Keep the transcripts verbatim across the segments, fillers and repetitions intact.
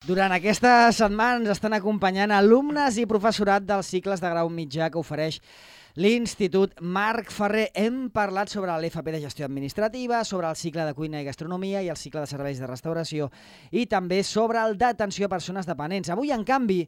Durant aquestes setmanes ens estan acompanyant alumnes i professorat dels cicles de grau mitjà que ofereix l'Institut Marc Ferrer. Hem parlat sobre l'F P de Gestió Administrativa, sobre el cicle de Cuina i Gastronomia i el cicle de Serveis de Restauració i també sobre el d'atenció a persones dependents. Avui, en canvi,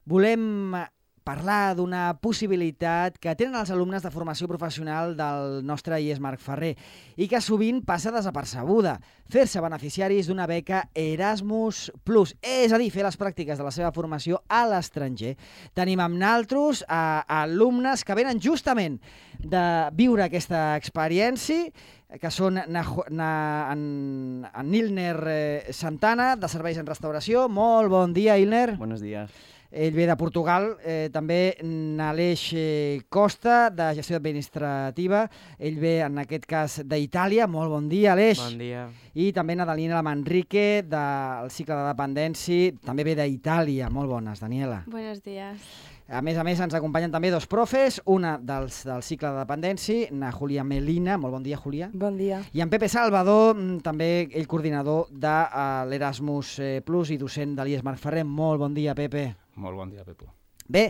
volem parlar d'una possibilitat que tenen els alumnes de formació professional del nostre I E S Marc Ferrer i que sovint passa desapercebuda, fer-se beneficiaris d'una beca Erasmus Plus, és a dir, fer les pràctiques de la seva formació a l'estranger. Tenim amb naltros a, a alumnes que venen justament de viure aquesta experiència, que són na, na, en, en Ilner Santana, de Serveis en Restauració. Molt bon dia, Ilner. Buenos días. Ell ve de Portugal, eh, també n'Aleix eh, Costa, de Gestió Administrativa. Ell ve, en aquest cas, d'Itàlia. Molt bon dia, Aleix. Bon dia. I també na Daniela Manrique, del cicle de dependència, també ve d'Itàlia. Molt bones, Daniela. Buenos días. A més a més, ens acompanyen també dos profes, una dels, del cicle de dependència, na Julia Melina. Molt bon dia, Julia. Bon dia. I en Pepe Salvador, també ell coordinador de uh, l'Erasmus Plus i docent de l'I E S Marc Ferrer. Molt bon dia, Pepe. Molt bon dia, Pepo. Bé,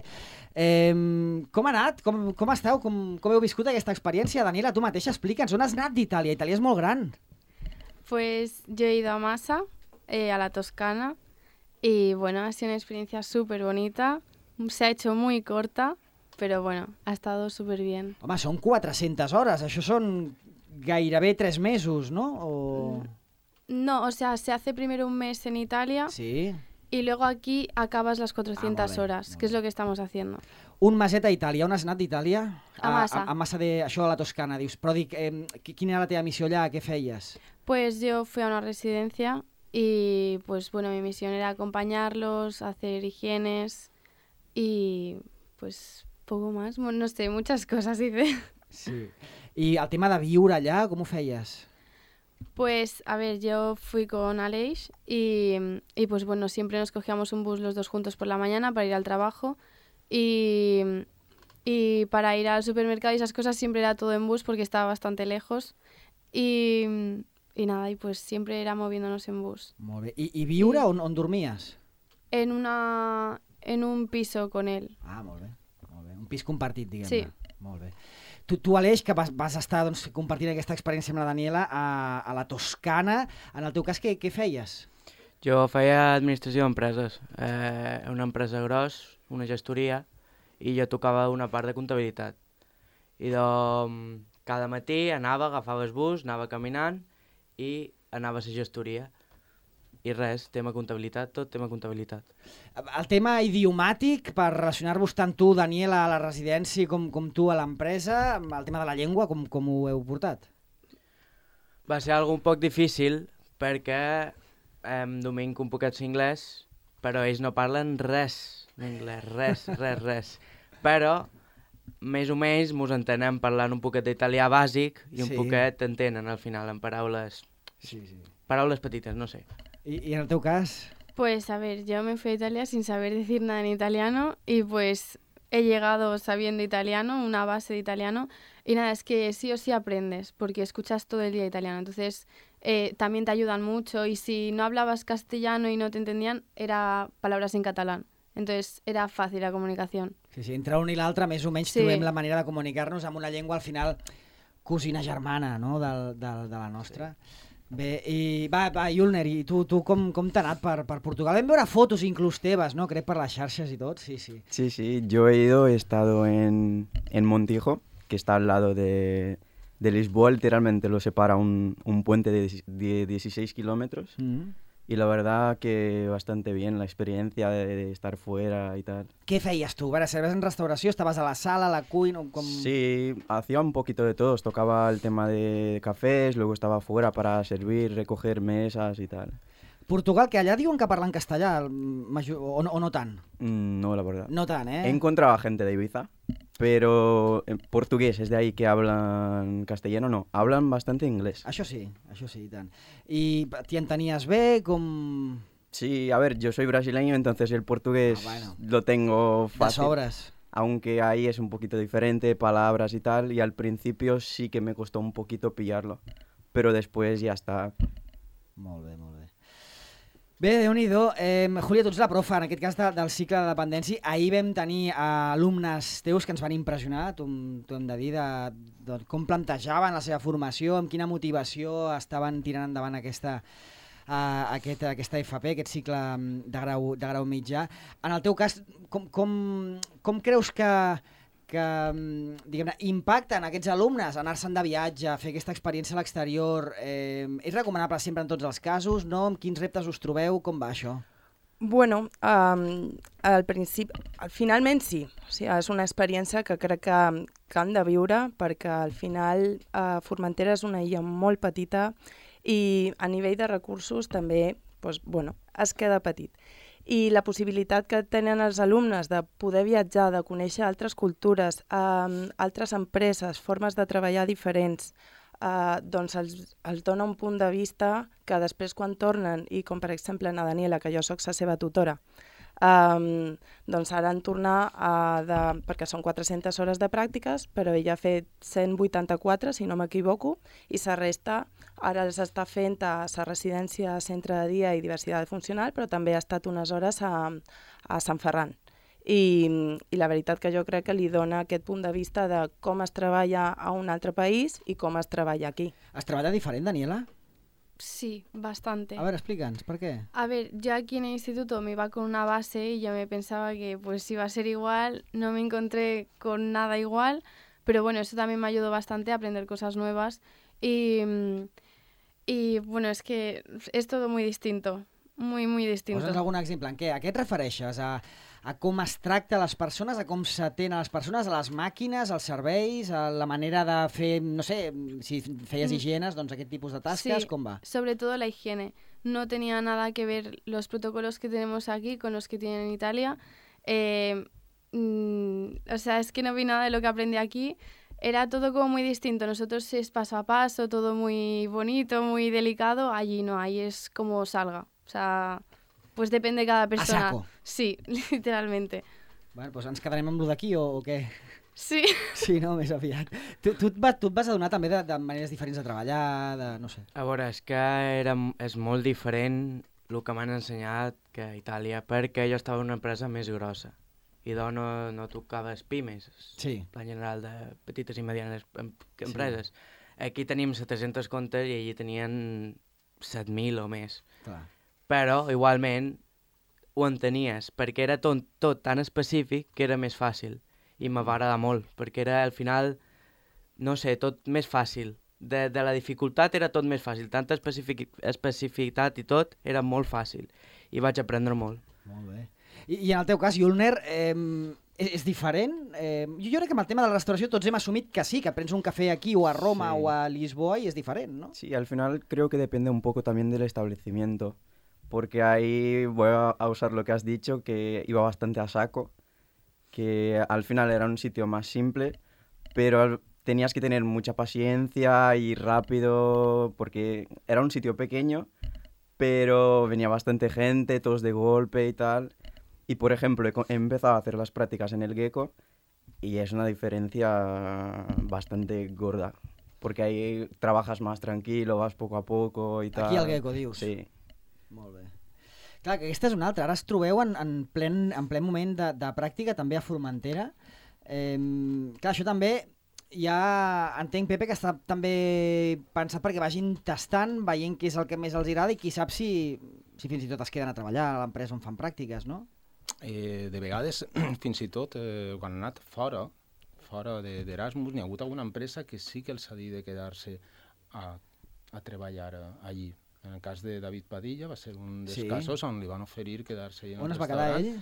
eh, com ha anat? Com, com esteu? Com, com heu viscut aquesta experiència? Daniela, tu mateixa explica'ns, on has anat d'Itàlia? Itàlia és molt gran. Pues yo he ido a Massa, eh, a la Toscana, y bueno, ha sido una experiencia súper bonita. Se ha hecho muy corta, pero bueno, ha estado súper bien. Home, són quatre-centes hores, això són gairebé tres mesos, no? O... No, o sea, se hace primero un mes en Italia. Sí. Y luego aquí acabas las cuatrocientas Ah, molt bé, horas, molt que es bé. lo que estamos haciendo. Un meset a Itàlia. On has anat d'Itàlia? A Massa. A, a Massa de... Això a la Toscana, dius. Però dic, eh, quina era la teva missió allà? Què feies? Pues yo fui a una residencia y pues bueno, mi misión era acompañarlos, hacer higienes y pues poco más. Bueno, no sé, muchas cosas hice. Sí. I el tema de viure allà, com ho feies? Pues, a ver, yo fui con Aleix y, y pues bueno, siempre nos cogíamos un bus los dos juntos por la mañana para ir al trabajo y, y para ir al supermercado y esas cosas siempre era todo en bus porque estaba bastante lejos y, y nada, y pues siempre era moviéndonos en bus. Molt bé. I, i viure I- on, on dormies? En, una, en un piso con él. Ah, molt bé. Molt bé. Un pis compartit, diguem-ne. Sí. Molt bé. Tu, tu Aleix, que vas, vas estar doncs, compartint aquesta experiència amb la Daniela a, a la Toscana, en el teu cas, què, què feies? Jo feia administració d'empreses, eh, una empresa gros, una gestoria, i jo tocava una part de comptabilitat. I doncs, cada matí anava, agafava el bus, anava caminant i anava a la gestoria. I res, tema comptabilitat, tot tema comptabilitat. El tema idiomàtic, per relacionar-vos tant tu, Daniela, a la residència com, com tu a l'empresa, el tema de la llengua, com, com ho heu portat? Va ser algo un poc difícil perquè em dominc un poquet l'inglès, però ells no parlen res d'anglès, res, res, res. Però més o menys mos entenem parlant un poquet d'italià bàsic i un Sí. poquet entenen al final en paraules, Sí, sí. paraules petites, no sé. I, i en el teu cas? Pues a ver, yo me fui a Italia sin saber decir nada en italiano y pues he llegado sabiendo italiano, una base de italiano, y nada, es que sí o sí aprendes, porque escuchas todo el día italiano, entonces eh, también te ayudan mucho, y si no hablabas castellano y no te entendían, era palabras en catalán, entonces era fácil la comunicación. Sí, sí, entre un i l'altre, més o menys, Sí. trobem la manera de comunicar-nos amb una llengua, al final, cosina germana, no?, del, del, de la nostra. Sí. Bé, i va, va, Julner, i tu, tu com, com t'ha anat per, per Portugal? Vam veure fotos inclús teves, no?, crec, per les xarxes i tot, sí, sí. Sí, sí, yo he ido, he estado en, en Montijo, que está al lado de, de Lisboa, literalmente lo separa un, un puente de, de dieciséis kilómetros. Mm. Y la verdad que bastante bien la experiencia de, de estar fuera y tal. Què feies tu? A veure, serves en restauració, estaves a la sala, a la cuina, com... Sí, hacía un poquito de todo. Tocaba el tema de cafés, luego estaba fuera para servir, recoger mesas y tal. Portugal, que allà diuen que parlen castellà, el major, o, no, o no tant? Mm, No, la verdad. No tant, eh? He encontrado a gente de Ibiza, pero en portugués es de ahí que hablan castellano, no. Hablan bastante inglés. Això sí, això sí, i tant. I t'hi entenies bé, com... Sí, a ver, yo soy brasileño, entonces el portugués Ah, bueno. lo tengo de fácil. sobres? Aunque ahí es un poquito diferente, palabras y tal, y al principio sí que me costó un poquito pillarlo, pero después ya está. Molt bé, molt bé. Bé, Déu-n'hi-do. Eh, Júlia, tu ets la profa, en aquest cas de, del cicle de dependència. Ahir vam tenir eh, alumnes teus que ens van impressionar, t'ho hem de dir, de, de com plantejaven la seva formació, amb quina motivació estaven tirant endavant aquesta, uh, aquest, aquesta F P, aquest cicle de grau, de grau mitjà. En el teu cas, com, com, com creus que, que diguem-ne, impacten aquests alumnes anar-se'n de viatge, fer aquesta experiència a l'exterior? Eh, és recomanable sempre en tots els casos, no? Amb quins reptes us trobeu? Com va això? Bueno, um, al principi, finalment sí. O sigui, és una experiència que crec que, que han de viure perquè al final uh, Formentera és una illa molt petita i a nivell de recursos també doncs, bueno, es queda petit. I la possibilitat que tenen els alumnes de poder viatjar, de conèixer altres cultures, eh, altres empreses, formes de treballar diferents, eh, doncs els, els dona un punt de vista que després quan tornen, i com per exemple na Daniela, que jo sóc la seva tutora, eh, doncs ara en tornar a de, perquè són quatre-centes hores de pràctiques, però ella ha fet cent vuitanta-quatre, si no m'equivoco, i la resta ara els està fent a la residència Centre de Dia i Diversitat Funcional, però també ha estat unes hores a, a Sant Ferran. I, I la veritat que jo crec que li dona aquest punt de vista de com es treballa a un altre país i com es treballa aquí. Es treballa diferent, Daniela? Sí, bastante. A ver, explícanos, ¿por qué? A ver, yo aquí en el instituto me iba con una base y yo me pensaba que pues iba a ser igual, no me encontré con nada igual, pero bueno, eso también me ayudó bastante a aprender cosas nuevas y, y bueno, es que es todo muy distinto, muy, muy distinto. Posa'ns algun exemple. En què? A què et refereixes? A, a com es tracta les persones, a com s'atén a les persones, a les màquines, als serveis, a la manera de fer, no sé, si feies higienes, doncs aquest tipus de tasques, sí, com va? Sobre todo la higiene. No tenía nada que ver los protocolos que tenemos aquí con los que tienen en Italia. Eh, mm, o sea, es que no vi nada de lo que aprendí aquí. Era todo como muy distinto. Nosotros es paso a paso, todo muy bonito, muy delicado. Allí no, ahí es como salga. O sea, pues depende de cada persona. A saco. Sí, literalmente. Bueno, doncs ens quedarem amb lo d'aquí o, o què? Sí. Sí, no, més aviat. Tu, tu, et, va, tu et vas adonar també de, de maneres diferents de treballar, de no sé. A veure, és que era, és molt diferent el que m'han ensenyat que a Itàlia, perquè jo estava en una empresa més grossa i doncs no, no tocaves pimes, sí. Plan general de petites i medianes em, empreses. Sí. Aquí tenim set-cents comptes i allí tenien set mil o més. Clar. Però igualment ho entenies, perquè era tot, tot tan específic que era més fàcil. I me va agradar molt, perquè era al final, no sé, tot més fàcil. De, de la dificultat era tot més fàcil, tanta especific, especificitat i tot era molt fàcil. I vaig aprendre molt. Molt bé. I, i en el teu cas, Julner, eh, és, és diferent? Eh, jo, jo crec que amb el tema de la restauració tots hem assumit que sí, que prens un café aquí o a Roma sí. o a Lisboa y es diferent, ¿no? Sí, al final creo que depende un poco también del establecimiento, porque ahí voy a usar lo que has dicho, que iba bastante a saco, que al final era un sitio más simple, pero tenías que tener mucha paciencia y rápido, porque era un sitio pequeño, pero venía bastante gente, todos de golpe y tal. Y, por ejemplo, he, he empezado a hacer las prácticas en el Gecko y es una diferencia bastante gorda, porque ahí trabajas más tranquilo, vas poco a poco y tal. Aquí al Gecko, dius? Sí. Molt bé. Clar, que aquesta és una altra. Ara es trobeu en, en, plen, en ple moment de, de pràctica, també a Formentera. Eh, clar, això també ja entenc, Pepe, que està també pensat perquè vagin tastant, veient què és el que més els agrada i qui sap si, si fins i tot es queden a treballar a l'empresa on fan pràctiques, no? Eh, de vegades, fins i tot, eh, quan han anat fora, fora d'Erasmus, n'hi ha hagut alguna empresa que sí que els ha dit de quedar-se a, a treballar allí. En el cas de David Padilla va ser un dels sí. casos on li van oferir quedar-se allà en on el es va quedar ell?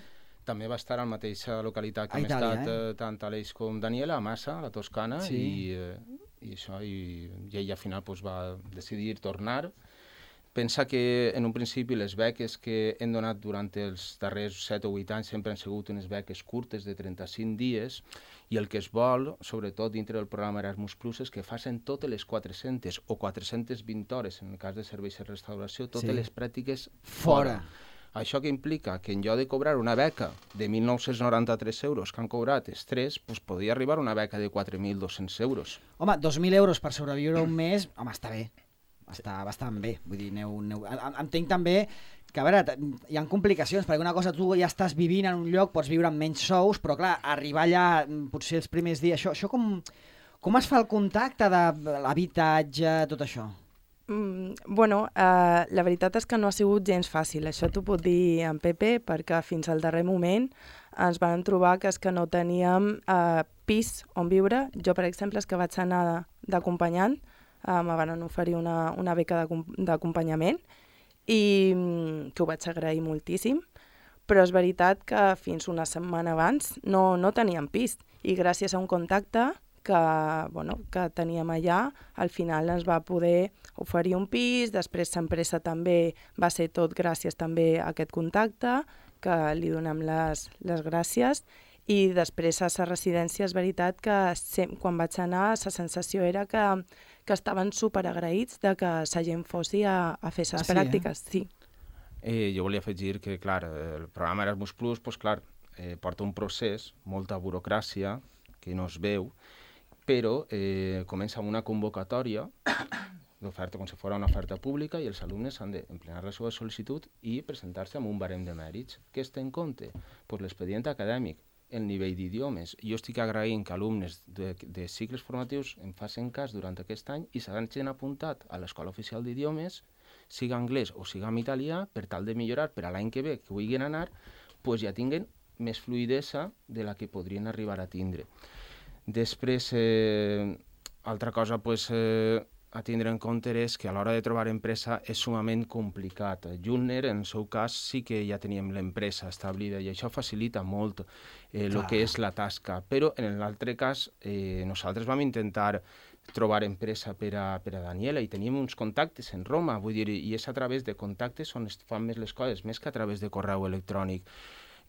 També va estar a la mateixa localitat que a hem Itàlia, estat eh? tant Aleix com Daniela, a Massa, a la Toscana, sí. i, eh, i això, i, i ell al final pues, va decidir tornar. Pensa que en un principi les beques que hem donat durant els darrers set o vuit anys sempre han sigut unes beques curtes de trenta-cinc dies i el que es vol, sobretot dintre del programa Erasmus Plus, és que facin totes les quatre-centes o quatre-centes vint hores, en el cas de serveis de restauració, totes sí. les pràctiques fora. fora. Això que implica que en lloc de cobrar una beca de mil nou-cents noranta-tres euros que han cobrat els tres, doncs podria arribar una beca de quatre mil dos-cents euros. Home, dos mil euros per sobreviure un mes, home, està bé. està bastant bé. Vull dir, aneu, aneu... entenc també que, a veure, hi ha complicacions, perquè una cosa, tu ja estàs vivint en un lloc, pots viure amb menys sous, però clar, arribar allà, potser els primers dies, això, això com, com es fa el contacte de l'habitatge, tot això? Mm, bueno, eh, la veritat és que no ha sigut gens fàcil, això t'ho puc dir en Pepe, perquè fins al darrer moment ens vam trobar que és que no teníem eh, pis on viure. Jo, per exemple, és que vaig anar d'acompanyant, eh, me van oferir una, una beca d'acompanyament, i mm, que ho vaig agrair moltíssim, però és veritat que fins una setmana abans no, no teníem pis, i gràcies a un contacte que, bueno, que teníem allà, al final ens va poder oferir un pis. Després l'empresa també va ser tot gràcies també a aquest contacte, que li donem les, les gràcies, i després a la residència és veritat que sem- quan vaig anar la sensació era que, que estaven superagraïts de que la gent fossi a, a fer les Ah, sí, pràctiques. Sí. Eh, jo volia afegir que, clar, el programa Erasmus Plus, pues, clar, eh, porta un procés, molta burocràcia, que no es veu, però eh, comença amb una convocatòria d'oferta com si fos una oferta pública, i els alumnes han d'emplenar la seva sol·licitud i presentar-se amb un barem de mèrits. Què es té en compte? Pues l'expedient acadèmic, el nivell d'idiomes. Jo estic agraint que alumnes de, de cicles formatius em facin cas durant aquest any i s'hagin apuntat a l'Escola Oficial d'Idiomes, siga anglès o siga en italià, per tal de millorar per a l'any que ve, que vulguin anar, pues ja tinguen més fluïdesa de la que podrien arribar a tindre. Després, eh, altra cosa pues, eh, a tindre en compte és que a l'hora de trobar empresa és sumament complicat. Julner, en el seu cas, sí que ja teníem l'empresa establida i això facilita molt el eh, que és la tasca, però en l'altre cas eh, nosaltres vam intentar trobar empresa per a, per a Daniela i teníem uns contactes en Roma, vull dir, i és a través de contactes on es fan més les coses, més que a través de correu electrònic.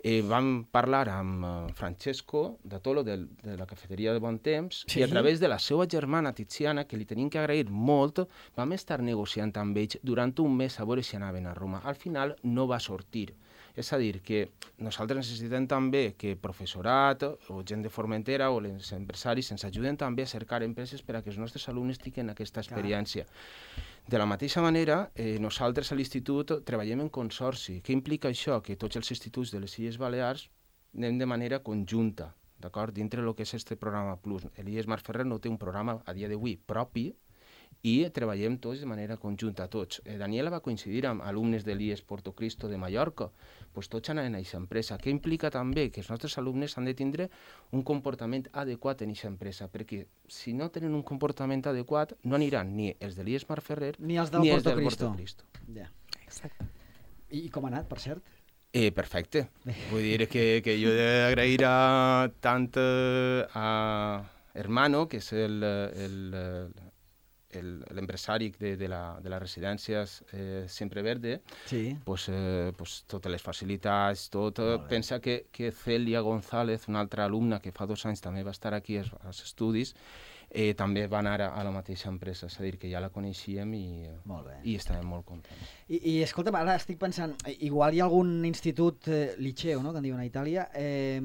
Eh, vam parlar amb uh, Francesco de Tolo de, de la cafeteria de Bon Temps, sí? I a través de la seva germana Tiziana, que li tenim que agrair molt, vam estar negociant amb ells durant un mes a veure si anaven a Roma. Al final no va sortir. És a dir, que nosaltres necessitem també que professorat o gent de Formentera o els empresaris ens ajuden també a cercar empreses per a que els nostres alumnes tinguin aquesta experiència. Clar. De la mateixa manera, eh, nosaltres a l'institut treballem en consorci. Què implica això? Que tots els instituts de les Illes Balears anem de manera conjunta, d'acord? Dintre del que és este programa Plus. L'I E S Marc Ferrer no té un programa a dia d'avui propi i treballem tots de manera conjunta, tots. Eh, Daniela va coincidir amb alumnes de l'I E S Porto Cristo de Mallorca, pues tots anaven a aquesta empresa. Què implica també? Que els nostres alumnes han de tindre un comportament adequat en aquesta empresa, perquè si no tenen un comportament adequat no aniran ni els de l'I E S Marc Ferrer ni els del ni Porto els del Cristo. Porto Cristo. Ja. Exacte. I com ha anat, per cert? Eh, perfecte. Vull dir que, que jo he d'agrair a tant eh, a Hermano, que és el, el, l'empresari de, de, la, de les residències eh, Sempre Verde, sí. pues, eh, pues, totes les facilitats, tot. Pensa que, que Celia González, una altra alumna que fa dos anys també va estar aquí als, als estudis, eh, també va anar a, a la mateixa empresa, és a dir, que ja la coneixíem i, i estàvem molt contents. I, i escolta'm, ara estic pensant, igual hi ha algun institut, eh, liceu, no?, que en diuen a Itàlia, eh,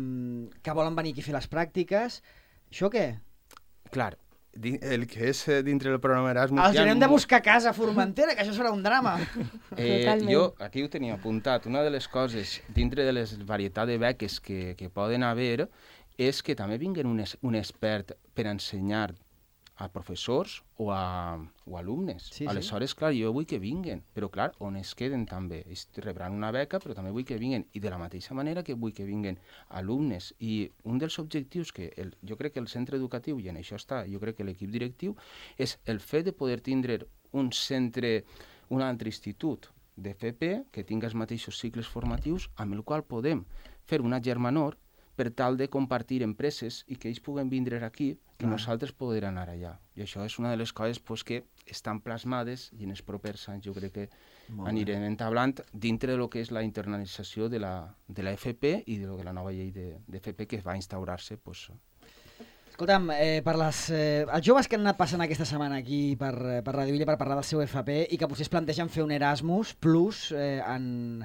que volen venir aquí a fer les pràctiques. Això què? Clar, el que és dintre del programa Erasmus... Els anem de buscar casa a Formentera, que això serà un drama. Eh, jo aquí ho tenia apuntat. Una de les coses, dintre de les varietat de beques que, que poden haver, és que també vinguen un, es, un expert per ensenyar a professors o a, o a alumnes. Sí, Aleshores, sí. clar, jo vull que vinguen, però clar, on es queden també. Ells rebran una beca, però també vull que vinguen. I de la mateixa manera que vull que vinguen alumnes. I un dels objectius que el, jo crec que el centre educatiu, i en això està, jo crec que l'equip directiu, és el fet de poder tindre un centre, un altre institut d'F P que tingui els mateixos cicles formatius amb el qual podem fer una germanor per tal de compartir empreses i que ells puguen vindre aquí, que ah. nosaltres podrem anar allà. I això és una de les coses pues, que estan plasmades i en els propers anys jo crec que Molt anirem bé. entablant dintre de lo que és la internalització de la, de la F P i de, lo de la nova llei de, de F P que va instaurar-se. Pues. Escolta'm, eh, per les, eh, els joves que han anat passant aquesta setmana aquí per, per Radio Illa per parlar del seu F P i que potser es plantegen fer un Erasmus Plus eh, en...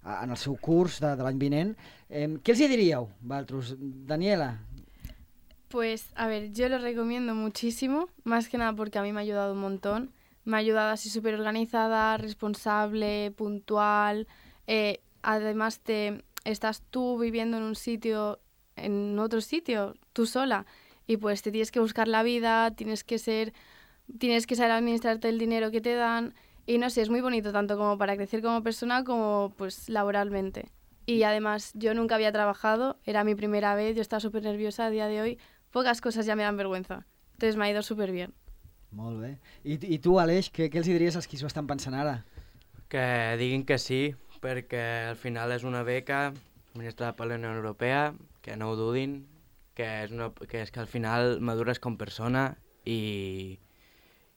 en el seu curs de, de l'any vinent. Eh, ¿Qué les diríeu, vosaltres? Daniela. Pues, a ver, yo lo recomiendo muchísimo, más que nada porque a mí me ha ayudado un montón. me ha ayudado así súper organizada, responsable, puntual. Eh, además, te, estás tú viviendo en un sitio, en otro sitio, tú sola, y pues te tienes que buscar la vida, tienes que ser, tienes que saber administrarte el dinero que te dan, y no sé, es muy bonito tanto como para crecer como persona como pues laboralmente. Y además, yo nunca había trabajado, era mi primera vez, yo estaba súper nerviosa a día de hoy, pocas cosas ya me dan vergüenza. Entonces me ha ido súper bien. Molt bé. I, i tu, Aleix, què, què els hi diries als qui s'ho estan pensant ara? Que diguin que sí, perquè al final és una beca administrada per la Unió Europea, que no ho dudin, que és, una, que és que al final madures com persona i,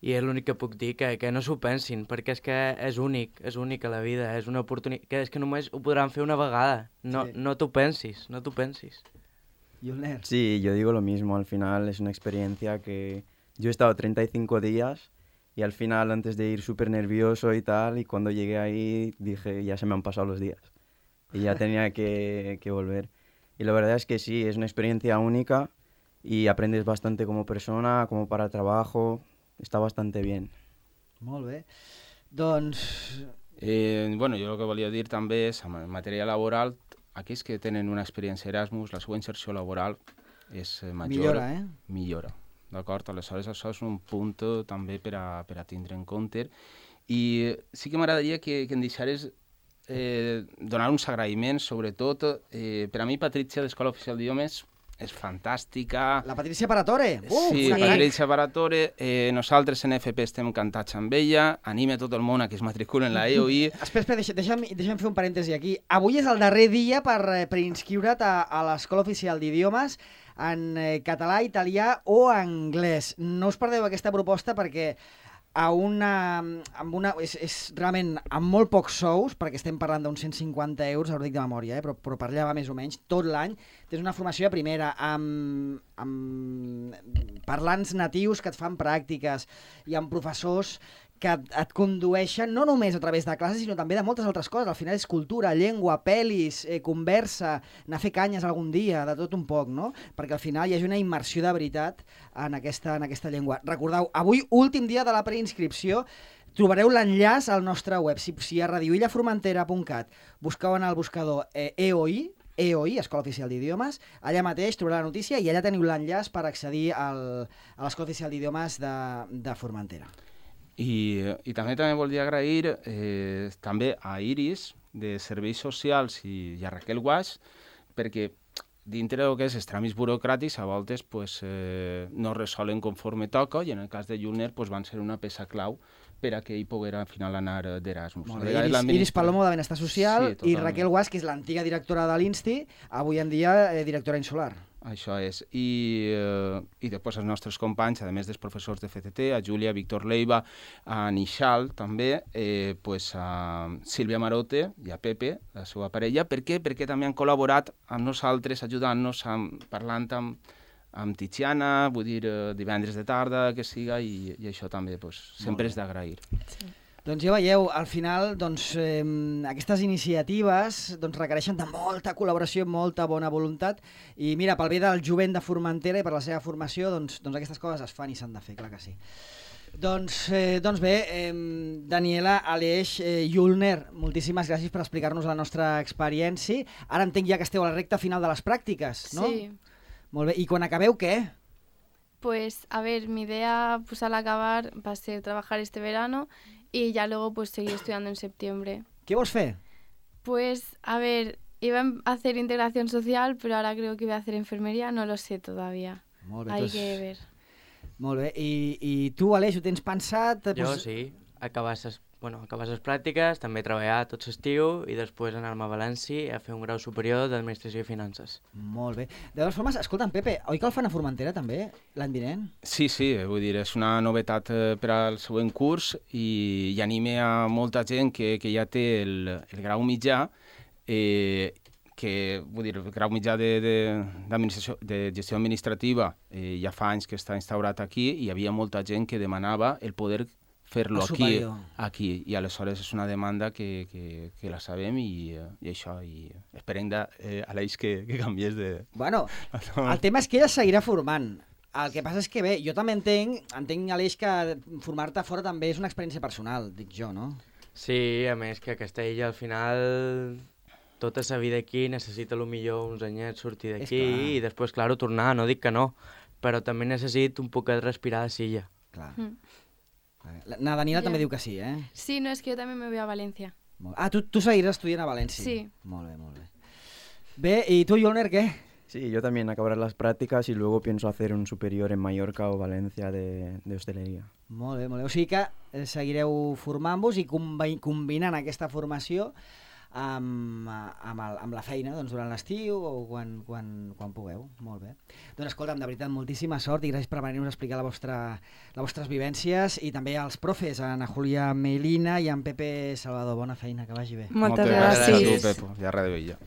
i és l'únic que puc dir, que, que no s'ho pensin, perquè és que és únic, és únic a la vida, és una oportunitat, que és que només ho podran fer una vegada, no, Sí. no t'ho pensis, no t'ho pensis. Julner. Sí, yo digo lo mismo, al final es una experiencia que yo he estado treinta y cinco días y al final antes de ir súper nervioso y tal, y cuando llegué ahí dije ya se me han pasado los días y ya tenía que, que volver. Y la verdad es que sí, es una experiencia única y aprendes bastante como persona, como para trabajo, está bastante bien. Molt bé. Doncs... Eh, bueno, jo el que volia dir també és, en matèria laboral, aquells que tenen una experiència Erasmus, la seva inserció laboral és eh, major. Millora, eh? Millora, d'acord? Aleshores, això és un punt eh, també per a, per a tindre en compte. I sí que m'agradaria que, que em deixares eh, donar uns agraïments, sobretot. Eh, per a mi, Patrícia, d'Escola Oficial d'Idiomes, és fantàstica. La Patricia Paratore. Uh, sí, una sí. crac. Patrícia Paratore. Eh, nosaltres en F P estem encantats amb ella. Anima tot el món a que es matriculen en la E O I. Espera, espera, deixa, deixa'm, deixa'm fer un parèntesi aquí. Avui és el darrer dia per, eh, per inscriure't a, a l'Escola Oficial d'Idiomes en eh, català, italià o anglès. No us perdeu aquesta proposta perquè a una, amb una, és, és realment amb molt pocs sous, perquè estem parlant d'uns cent cinquanta euros, ara ho dic de memòria, eh, però, però per allà va més o menys, tot l'any. Tens una formació de primera amb, amb parlants natius que et fan pràctiques i amb professors que et, et condueixen no només a través de classes, sinó també de moltes altres coses. Al final és cultura, llengua, pel·lis, eh, conversa, anar a fer canyes algun dia, de tot un poc, no? Perquè al final hi hagi una immersió de veritat en aquesta, en aquesta llengua. Recordeu, avui, últim dia de la preinscripció, trobareu l'enllaç al nostre web. Si, si a radio illa formentera punt cat busqueu en el buscador eh, E O I, E O I, Escola Oficial d'Idiomes, allà mateix trobareu la notícia i allà teniu l'enllaç per accedir al, a l'Escola Oficial d'Idiomes de, de Formentera. I, i també també volia agrair eh, també a Iris, de Serveis Socials, i, i a Raquel Guas, perquè dintre del que és els tràmits burocràtics a voltes pues, eh, no resolen conforme toca i en el cas de Julner pues, van ser una peça clau per a que ell poguera al final anar d'Erasmus. Molt bé, Iris, Iris Palomo de Benestar Social sí, i Raquel Guas, que és l'antiga directora de l'Insti, avui en dia eh, directora insular. Això és. I, eh, i després els nostres companys, a més dels professors de F C T, a Júlia, Víctor Leiva, a Nixal també, eh, pues a Sílvia Marote i a Pepe, la seva parella. Per què? Perquè també han col·laborat amb nosaltres, ajudant-nos, amb, parlant amb, amb Tiziana, vull dir, eh, divendres de tarda, que siga, i, i això també pues, sempre és d'agrair. Sí. Doncs ja veieu, al final doncs, eh, aquestes iniciatives doncs, requereixen de molta col·laboració, molta bona voluntat i mira, pel bé del jovent de Formentera i per la seva formació, doncs, doncs aquestes coses es fan i s'han de fer, clar que sí. Doncs, eh, doncs bé, eh, Daniela, Aleix, eh, Julner, moltíssimes gràcies per explicar-nos la nostra experiència. Ara entenc ja que esteu a la recta final de les pràctiques, no? Sí. Molt bé, i quan acabeu què? Pues, a ver, mi idea pues al acabar va a ser trabajar este verano y ya luego pues seguir estudiando en septiembre. Què vols fer? Pues, a ver, iba a hacer integración social, pero ahora creo que voy a hacer enfermería, no lo sé todavía. Molt bé, Hay doncs- que ver. Molt bé, i, i tu, Aleix, ho tens pensat? Jo Pues- sí, acabar les, bueno, acabar les pràctiques, també treballar tot l'estiu i després anar-me a València a fer un grau superior d'Administració i Finances. Molt bé. De totes formes, escolta'm, Pepe, oi que el fan a Formentera també, l'any vinent? Sí, sí, vull dir, és una novetat eh, per al següent curs i, i anime a molta gent que, que ja té el, el grau mitjà, eh, que, vull dir, el grau mitjà de, de, d'administració, de gestió administrativa eh, ja fa anys que està instaurat aquí i hi havia molta gent que demanava el poder fer-lo El aquí, superior. aquí, i aleshores és una demanda que, que, que la sabem i, eh, i això, i esperem de, eh, Aleix que, que canvies de... Bueno, el tema és que ella seguirà formant. El que passa és que, bé, jo també entenc, entenc, Aleix, que formar-te fora també és una experiència personal, dic jo, no? Sí, a més que aquesta illa al final tota sa vida aquí necessita lo millor uns anyets sortir És d'aquí clar. i després, claro, tornar, no dic que no, però també necessito un poc de respirar de silla. Clar. Mm. La, na Danila Ja. també diu que sí, eh? Sí, no, es que yo también me voy a Valencia. Molt- Ah, tu, tu seguiràs estudiant a València? Sí. Molt bé, molt bé. Bé, i tu, Jolner, què? Sí, yo también acabar las prácticas y luego pienso hacer un superior en Mallorca o Valencia de, de hostelería. Molt bé, molt bé. O sigui que eh, seguireu formant-vos i combi combinant aquesta formació amb, amb, el, amb la feina doncs, durant l'estiu o quan, quan, quan pugueu. Molt bé. Doncs escolta'm, de veritat, moltíssima sort i gràcies per venir-nos a explicar la vostra, les vostres vivències i també als profes, a Ana Julia Melina i a en Pepe Salvador. Bona feina, que vagi bé. Moltes Moltes gràcies a gràcies. tu, Pepo, i a Ràdio Illa.